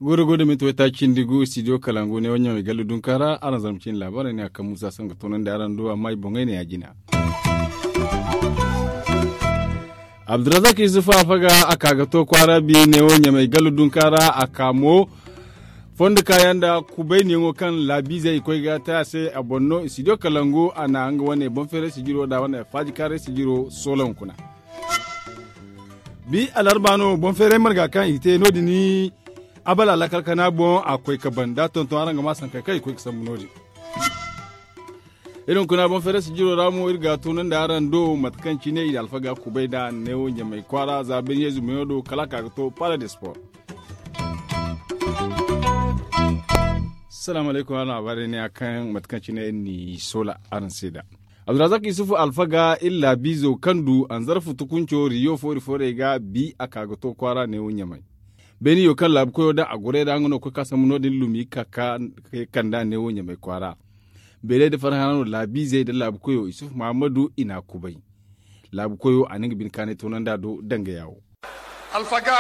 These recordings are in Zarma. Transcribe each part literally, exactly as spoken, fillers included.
Godo godo minti wayta cindi gu studio kalangu ne wanya mai gallu dunka ra araŋ zarma cindi labaarey ne a kaŋ musa sango toonandi araŋ do amma i boŋey ne ya jina. Abdurazak yusuf alfaga a ka ga to kwaara bi ne wo ɲamay gallu dunka ra a ka mo fondo kaayaŋ nda kubayniyaŋo kaŋ laabiizey i koy ga te a se a boŋ no studio kalangu a na nga wane boŋ feeray sijiro nda wane faajikaaray sijiro soolon kuna. Bi alarba no boŋ feeray marga kaŋ i te no- din abala lakkal kana boŋ a koy ga ban da tonton araŋ ga ma sankey kaŋ i koy ga sambu no- din. Iri hunkuna boŋ feeray sijiro ra mo iri ga tunandi araŋ do mate kaŋ cine i alfaga kubay nda neewo ɲamay kwaara za birni yeezu meyo do kala a ka ga to pala de sport. Salaamu alaykum araŋ abaarey ne a kaŋ mate kaŋ cine iri n'i soola araŋ se nd'a. Abdurazak yusufu alfaga iri laabiizo kaŋ du anzarfu tukunco riyo foori foorey ga bi a ka ga to kwaara neewo ɲamay. Beeniyo kaŋ laabu koyo daŋ a gorey ra nga no ga koy ga sambu no- din lumi ga ka ga kand'a neewo ɲamay kwaara. Beeley nda farhana no laabiizey nda laabu koyo yusuf mahammadu i n'a kubay. Laabu koyo a na nga bine kaanay toonandi a do danga yaawo. Alfaga,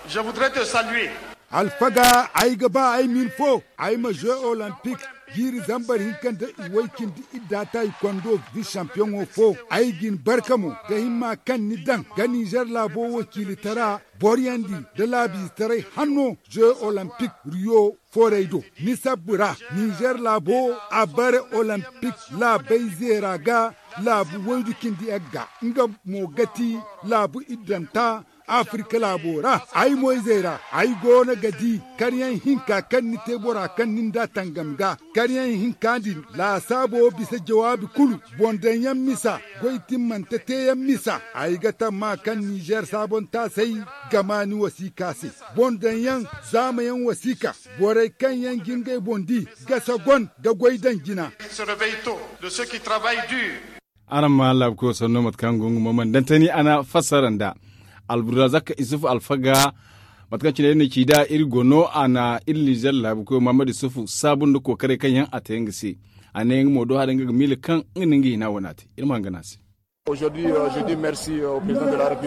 je voudrais te saluer. Alfaga, ay ga ba ay ma hin fo ay ma jeux olympique jiiri zambar hinka nda i way cindi idda taayikondo vice champiyoŋo fo. Ay ga hin barka mo da himma kaŋ ni daŋ ga nizer laabo wakiilitara boriyandi nda laabiizetaray hanno jeux olympique riyo foorey do. Ni sabbu ra nizer laabo a bare olympique laabey zeera ga laabu waydu cindi yagga nga mo ga ti laabu iddanta afirka laabo ra. Ay moyzey ra ay go no ga di karyaŋ hinka kaŋ ni te bora kaŋ ni nd'a tangam ga karyaŋ hinka din laasaabo bisa jawaabi kulu boŋ daŋ yaŋ misa goy timmante te yaŋ misa. Ay ga tamma kaŋ nizer saabontaasey ga ma ni wasiika se boŋ daŋ yaŋ zaama yaŋ wasiika borey kaŋ yaŋ ga ngey boŋ di ga sagon ga goy daŋ jina. Araŋ ma laabu koyo sanno mate kaŋ go nga mo mana daŋ tani a na fassara nd'a. Alburazak isufu alfaga mate kaŋ cine iri na ci nd'a iri go no a na iri nizer laabu koyo mahamadu isufu saabu nda kookaray kaŋ yaŋ a te nga se. A ne nga mo do hari nga ga miila kaŋ nga na nga hina wane a te iri ma hangana se.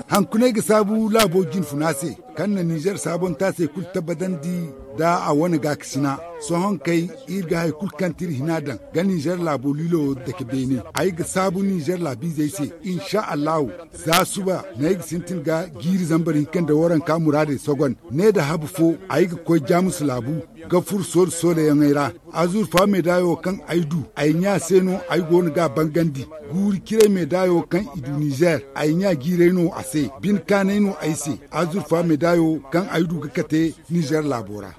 Hankunay ga saabu laabo jinfuna se kaŋ na nizer saabontaasey kulu tabbatandi nda a wane gaakasina. Sohõ kay iri ga hari kulu kaŋ ti iri hina daŋ ga nizer laabo liilo dake beene ay ga saabu nizer laabiizey se. Insa allahu za suba no ay ga sintin ga jiiri zambar hinka nda waranka muraadey sogon ne nda habu fo ay ga koy jaamus laabu ga furo soole sooleyaŋey ra. Azurfa meedaayo kaŋ ay du ay ɲa se no ay go no ga a bangandi. Guuri ciray meedaayo kaŋ i du nizer ay ɲa jiiray no a se. Bine kaanay no ay se. Azurfa meedaayo kaŋ ay du ga kate nizer laabo ra.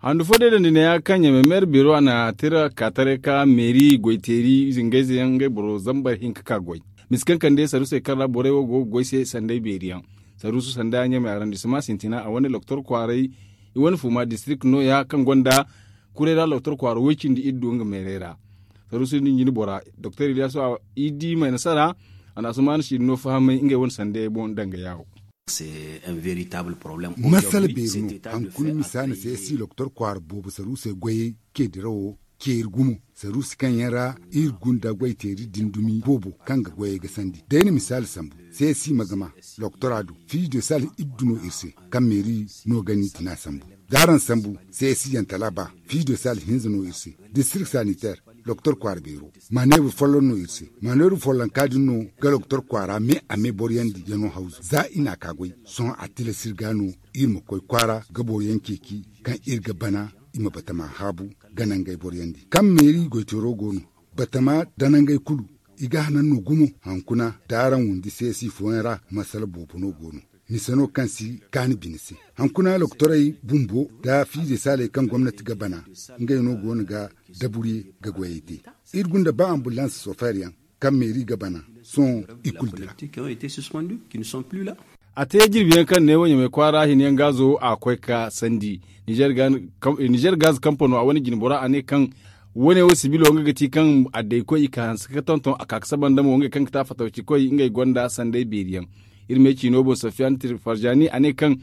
Handu fo day dandi neeya kaŋ ɲamay meera beero a na tira ka taray ka meeri goyteeri zingayze yaŋ ngey boro zambar hinka ka goy. Misi kaŋ kande saruusey kaŋ ra borey wo go ga goy se sanday beeri yaŋ. Saruusu sanda ɲamay arandisima sintina a wane loktor kwaaray i wane fuma distirik nooya kaŋ gonda kuray ra loktor kwaara woy cindi iri du nga meeray ra. Saruusu din jine bora doktor iliyasu i di may nasara. A na asumaana si no fahamay ngey wane sanda yaŋ boŋ danga yaawo. Masala beeri no hankuna misa na se si loktor kwaara boobo saruusey goyey ceedirawo ceeri gumo saruusi kaŋ yaŋ ra iri gunda goyteeri din dumi boobo kaŋ ga goyey gasandi day na misaali sambu. Se si ma gama loktora do fiijo sal iddu no iri se kaŋ meeri no gani tina sambu. Daaraŋ sambu se si yantala ba fiijo sal hinza no iri se district sanitaire loktor kwaara beero. Maneebur folloŋ no iri se maneebur follonka din no ga loktor kwaara me a me boroyandi yano hawzu za i na a ka goy. Sohõ a tilas iri ga no iri ma koy kwaara ga boroyaŋ ceeci kaŋ iri ga bana i ma batama haabu ga nangey boroyandi kaŋ meeri goyteero go no. Batama danangey kulu i ga hanan no gumo hankuna daaraŋ wundi se si fooyaŋ ra masala boobo no go no. Mise no kaŋ si kaani bine se hankuna loktorey bumbo da fiize saaley kaŋ gomnati ga bana ngey no go no ga daburye ga goyey te. Iri gunda ba ambulans sofer yaŋ kaŋ meeri ga bana sohõ i kulu dira. A te jirbi yaŋ kaŋ ne wo ɲamay kwaara hina yaŋ gaazo a koy ka sandi nizer gaz kampano a wane jinbora a ne kaŋ wane wo sibilo nga ga ti kaŋ a day koy i ka hanse ka tonton a ka ga saba nda mo ngey kaŋ ga ti a fatawci koy ngey gonda sanday beeri yaŋ. Iri me ciino boŋ sofiyan tirfarjani a ne kaŋ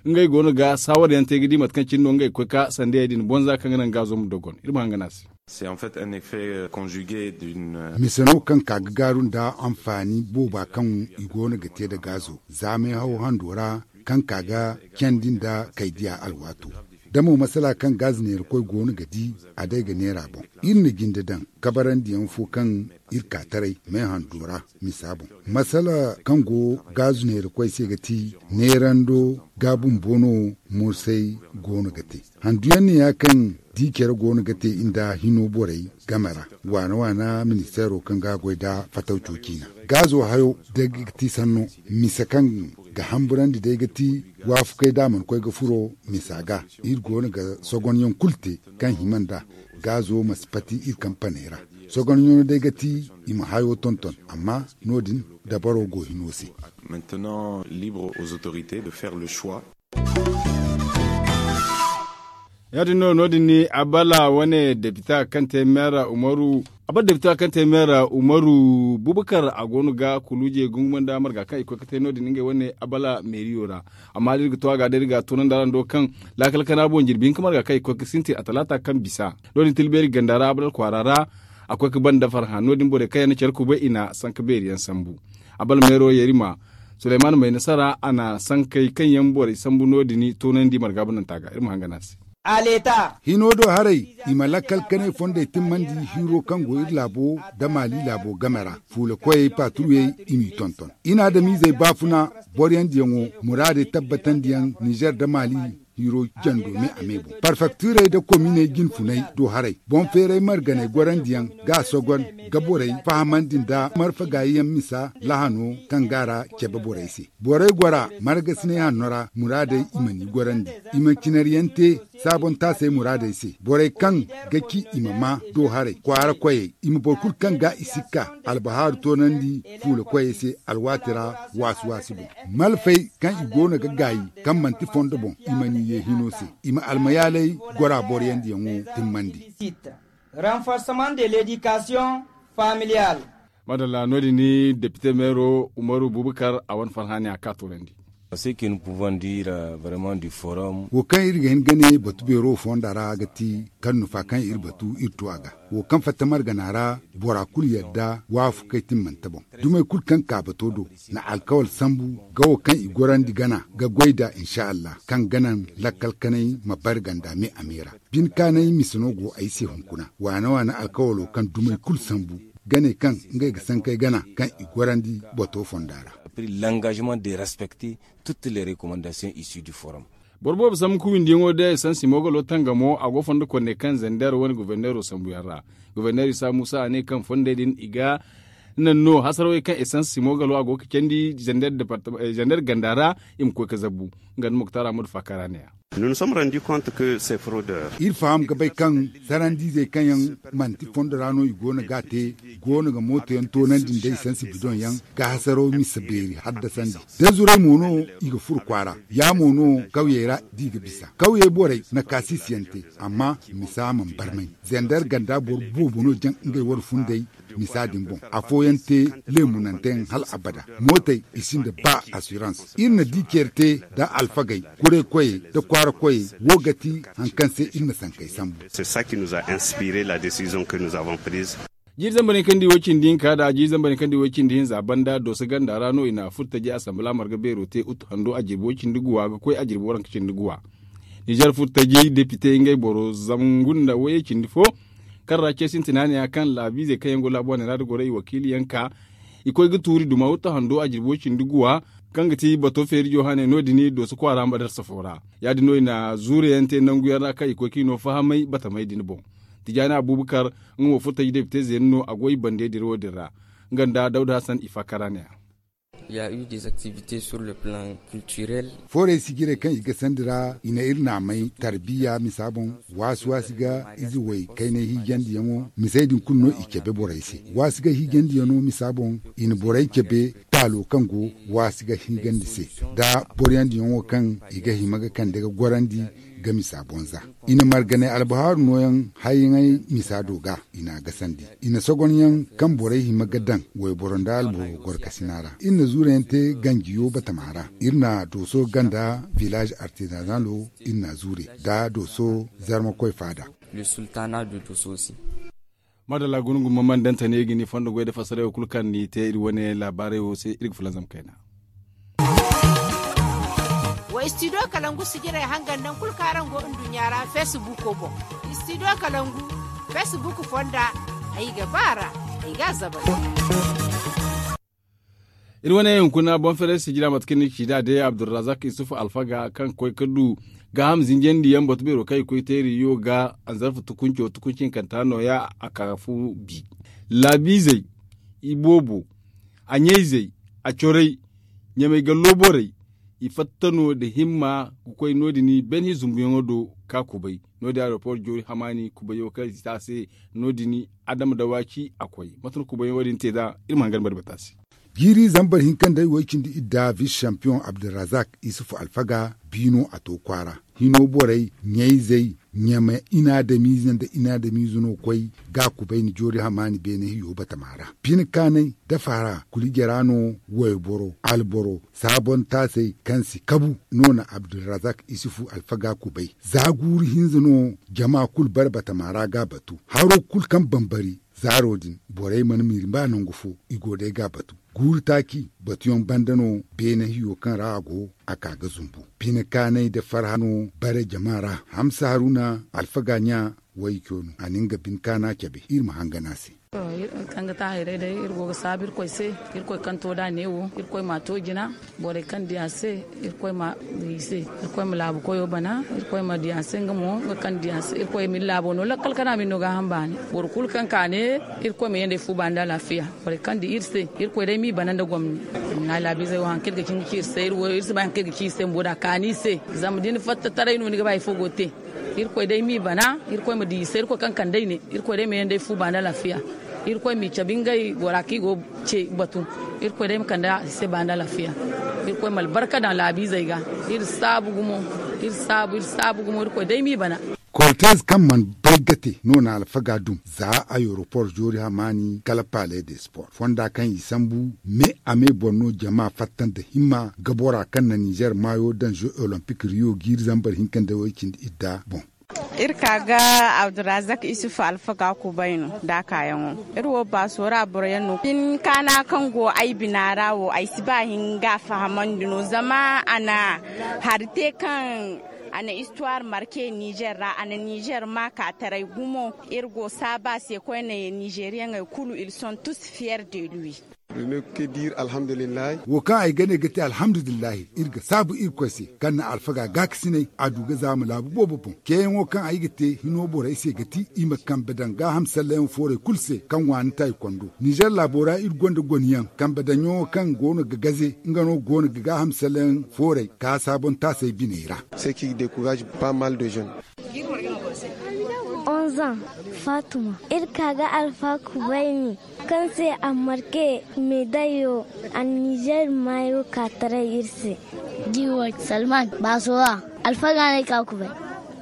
ngey go no ga saawar yaŋ te ga di mate kaŋ cine no ngey ga koy ka sandayey din bonza kaŋ ga naŋ gaazo ma dogon iri ma hangan a se. Mise no kaŋ ka ga gaaru nda anfaani booba kaŋ i go no ga te nda gaazo zaamay haw hando ra, kaŋ ka ga candi nda kay diya alwaato da mo masala kaŋ gaazi neerakoy go no ga di, a day ga neera boŋ. Iri na jinde daŋ kabarandiyaŋ fo kaŋ iri ka taray me hando ra misa boŋ. Masala kaŋ go gaazu neerakoy se ga ti neerando ga bumbo no morsay go no ga te. Handuyaŋ ne ya kaŋ di care go no ga te nda hino borey game ra waana waana ministeero kaŋ ga goy nda fatawco ciina. Gaazo hayo day ga ti sanno mise kaŋ ga hamburandi day ga ti waafakey da a mana koy ga furo misa ga. Iri go no ga sogonyaŋ kulu te kaŋ hima nd'a. Gaazo ma si pati iri kampaney ra. Sogonyaŋo day ga ti i ma hayo tonton amma no- din dabaro go hino se. Ya- din no no- din ni abala wane depita kaŋ te meera umaru abala depita kaŋ te meera umaru bubakar a go no ga kuluuje gunguma nda marga kaŋ i koy ga te no- din ngey wane abala meeriyo ra. Amma da iri ga to a ga da iri ga a toonandi araŋ do kaŋ laakal kana boŋ jirbi hinka marga kaŋ i koy ga sintin a talaata kaŋ bisa no- din tilbeeri ganda ra abala kwaara ra. A koy ga ban da farhã no- din borey kaŋ yaŋ na care kubay i na sanka beeri yaŋ sambu. Abala meero yerima suleyman may nasara a na sankey kaŋ yaŋ borey sambu no- din toonandi marga bananta ga iri ma hangan a se. Hino do haray i ma lakkal kanay fondey timmandi hiiro kaŋ go iri laabo nda maali laabo game ra fuula koyey paaturuyey i m'i tonton i na adamiizey baafuna. Boroyandiyaŋo muraadey tabbatandiyaŋ nizer nda maali hiiro jando me a me boŋ parfaktiirey nda kominey jinfunay do haray boŋ feeray marganey gorandiyaŋ ga a sogon ga borey fahamandi nda marfa gaayiyaŋ misa lahano kaŋ ga a ra cabe borey se. Borey gora margasinay hanno ra muraadey i ma ni gorandi i ma cinariyaŋ te saabontaasey muraadey se borey kaŋ ga ci i ma maa do haray kwaara koyey i ma boro kulu kaŋ ga i sikka albahaaru toonandi fuula koyey se alwaati ra waasi waasi boŋ malfey kaŋ i go no ga gaayi kaŋ manti fondo boŋ i ma ni ye hino se i ma almayaaley gora boroyandiyaŋo timmandi. Renforcement de l'éducation familiale. Madalla no- din ni depite meero umaru bubakar a wane farhani a ka toonandi. Wo kaŋ iri ga hin ga ne batu beero fonda ra ga ti kaŋ nufa kaŋ iri batu iri to a ga wo kaŋ fatta margana ra bora kulu yadda waafakey timmante boŋ. Dumey kulu kaŋ ka bato do na alkawal sambu ga wo kaŋ i gorandi gana ga goy da insa allah kaŋ ga naŋ lakkal kanay ma bari ganda me a me ra. Bine kaanay mise no go ay se hunkuna waana waana alkawalo kaŋ dumey kulu sambu ga ne kaŋ ngey ga sankey gana kaŋ i gorandi bato fonda ra. L'engagement de respecter toutes les recommandations issues du forum. Boro boobo sambu ka windiyaŋo day esansi moogalo tangamo a go fondo konne kaŋ zender wane governeero sambuyaŋ ra. Governeer isa muusa a ne kaŋ fondey din i ga naŋ no hasarawey kaŋ esansi moogalo a go ga candi zender ganda ra i ma koy ga zabbu. Nga nda muktar ahmadu faakara ne ya. Iri faham ga bay kaŋ sarandiizey kaŋ yaŋ manti fondo ra no i go no ga a te go no ga mooto yaŋ toonandi nda esansi bidoŋ yaŋ ga hasaraw misa beeri haddasandi. Da zuray mo no i ga furo kwaara ya mo no kawyey ra da i ga bisa kawyey borey na kaasiisiyaŋ te. Amma misa mana barmay zender ganda boro boobo no jaŋ ngey war funday misa din boŋ afooyaŋ te leemunante yaŋ hal abada. Mootey i sinda ba assurance iri na di care te nda alfagey kuraykoyey nda kwaarakoyey wo ga ti hari kaŋ se iri na sankey sambu. Jiiri zambar yaŋ kaŋ di way cindi hinka nda jiiri zambar yaŋ kaŋ di way cindi hinza banda dooso ganda ra no i na furtaji asambala marga beero te utu hando a jirbi way cindi guwa ga koy a jirbi waranka cindi guwa. Nizer furtaji depite ngey boro zangu nda wayey cindi fo kaŋ ra ce sintina ne ya kaŋ laabiizey kaŋ yaŋ go laabu wane ra da goro i wakiili yaŋ ka i koy ga tuuri duma utu hando a jirbi way cindi guwa kaŋ ga ti bato feerijo hane no- din dooso kwaara ma darsa fo ra. Ya- din no i na zuure yaŋ te nangu yaŋ ra kaŋ i koy ka i no fahamay batamay din boŋ. Tijaani abubakar nga mo furtaji depite zeeni no a go i bande dirawo din ra. Nga nda dawda hasan i faakara ne ya. Foorey sijirey kaŋ i ga sandi ra i na iri naamay tarbiya misa boŋ. Waasi waasi ga ize way kaynay hiijandiyaŋo misey din kulu no i cabe borey se. Waasi ga hiijandiyaŋo misa boŋ i na borey cabe. Laalo kaŋ go waasi ga hingandi se nda boro yaŋ diyaŋo kaŋ i ga hima ga kande ga gorandi ga misa bonza. I na marganay albahaaru nooyaŋ hayyaŋey misa do ga i n'a gasandi. I na sogonyaŋ kaŋ borey hima ga daŋ wayboro nda alboro gorkasina ra. Iri na zuurayaŋ te ganjiyo batama ra. Iri na dooso ganda vilaaze artizanalo iri na zuure nda dooso zarmakoy faada. Maadalla guna gumba man dantane ga ni fondo goy da fassarey wo kulu kaŋ ni te iri wane laabaarey wo se iri ga fulanzam kayna. Wa istidiyo kalangu sijirey hangan naŋ kulu kaŋ araŋ go nduɲɲa ra feesibuuko boŋ. Istidiyo kalangu feesibuuko fonda ay ga ba a ra ay ga a zabay. Iri wane hunkuna boŋ feeray sijira mate kaŋ ni ga ci nd'a day abdulrazak isufu alfaga kaŋ ga koy ga du gaaham zinjandi yaŋ batu beero kaŋ i koy teeriyo ga anzarfa tukunco tukunci hinkanta nooya a ka fu bi laabiizey iboobo a ɲayzey a corey ɲamey gallo borey i fatta no nda himma ga koy no- din beene zumbuyaŋo do ka kubay no- din aeroport joori hamaani kubayo kaŋ i te a se no- din adama dawaaci a koy mate no kubayaŋo din te nd'a iri ma hangan bari bata se. Jiiri zambar hinka nda way cindi idda vis champion abdulrazak isufu alfaga biino a to kwaara hino borey ɲayzey ɲame inaadamiize nda inaadamiize no koy ga a kubay ni joori hamaani beene hiyo batama ra bine kaanay dafa ra kuli jara no wayboro alboro saabontaasey kaŋ si kabu no na abdulrazak isufu alfaga kubay za guuru hinza no jama kulu bare batama ra ga a batu haro kulu kaŋ bambari zaaro din borey mana miiri ba nangu fo i go day ga a batu guuru taaci batuyaŋ banda no beene hiyo kaŋ ra a go a ka ga zumbu bine kaanay nda farha no bare jama ra hamsa haruna alfaga ɲa wayco no a na nga bine kaana cabe iri ma hangan a se. Kaŋ ga te a hayray day iri go ga saabu irkoy se irkoy kaŋ to da neewo irkoy ma a to jina borey kaŋ di a se irkoy ma di i se irkoy ma laabu koyo bana irkoy ma di a se nga mo nga kaŋ di a se irkoy ma iri laabo no lakkal kana ma iri no gaaham baani boro kulu kaŋ ka ne irkoy ma yanda ay fu baani nda alaafiya borey kaŋ di iri se irkoy day m'i bana nda gomni. Nga laabiizey wo hari kaŋ iri ga ci nga ci iri se iri wo iri si bay hari kaŋ iri ga ci iri se bumbo da a kaani iri se zama da ni fatta taray no ni ga ba hari fo go ga te. Irkoy day m'i bana irkoy ma di i se irkoy kaŋ kande ay ne irkoy day ma yanda ay fu baani alaafiya irkoy m'i cabe ngey bora kaŋ i go ga ce batu irkoy day ma kande i se baani alaafiya irkoy ma albarka daŋ laabiizey ga iri saabu gumo iri saabu iri saabu gumo irkoy day m'i bana. Kortez kaŋ mana bay ga te no na alfaga dum za ayeropor joori hamaani kala pale de sport fonda kaŋ i sambu me a me boŋ no jama fatta nda himma ga bora kaŋ na nizer maayo daŋ jeux olympic riyo jiiri zambar hinka nda way cindi idda boŋ. Iri ka ga abdurazak isufu alfaga kubay no da a kaayaŋo iri wo baaso ra boro yaŋ no bine kaana kaŋ go ay bina ra wo ay si ba hin ga a fahamandi no zama a na hari te kaŋ a na istuwar marke nizer ra a na nizer ma ka taray gumo. Iri go saabu a se koyne nizeriyaŋey kulu ils sont tous fiers de lui. Wo kaŋ ay ga ne ga te alhamdulillahi iri ga saabu irkoy se kaŋ na alfaga gaakasinay a du ga zaama laabu boobo boŋ ceeyaŋo kaŋ ay ga te hino borey se ga ti i ma kambe daŋ gaaham sallayyaŋ foorey kulu se kaŋ waani taaykondo nizer laabo ra iri gonda goniyaŋ kambe daŋyaŋo kaŋ go no ga gaze nga no go no ga gaaham sallayyaŋ foorey ka saabontaasey biney ra. Onzan fatuma iri ka ga alfa kubayni kaŋ se a marke medayo a nizer maayo ka taray iri se. Diwo salman baasora alfaga no ay ka kubay.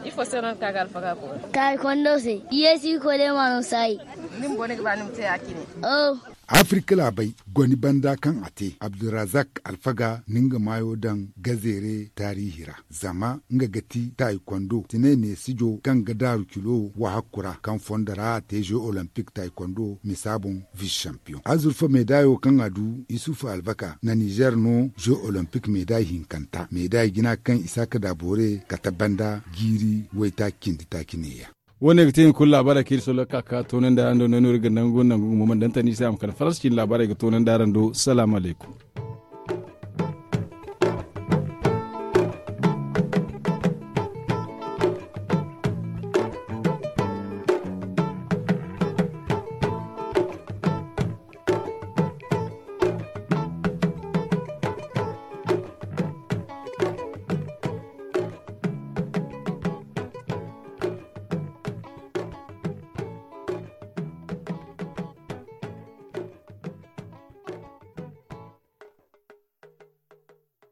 Ifo se no ni ka ga alfaga kubay? Taaykondo se. Yeesi iri koy day ma no saayi. Ni bumbo ni ga ba ni ma te ya cine? Oh. Afirka laabey goni banda kaŋ a te abdulrazak alfaga na nga maayo daŋ gazeere taariihi ra zama nga ga ti taaykondo tinay neesijo kaŋ ga daaru kilo wahakku ra kaŋ fondo ra a te jeux olympic taaykondo misa boŋ vis champion azurfa meedayo kaŋ a du isufu alvaka na nizer no jeux olympic meeday hinkanta meeday jina kaŋ isaaka daabore kate banda jiiri waytaaci cindi taaci neeya. Wo- ne ga te hin kulu laabaarey kaŋ iri sollo ga ka ga toonandi araŋ do no iri ga nangu nangu gumo mana dantandi iri se a ma kala faransa cine laabaarey ga toonandi araŋ do salaamu alaykum.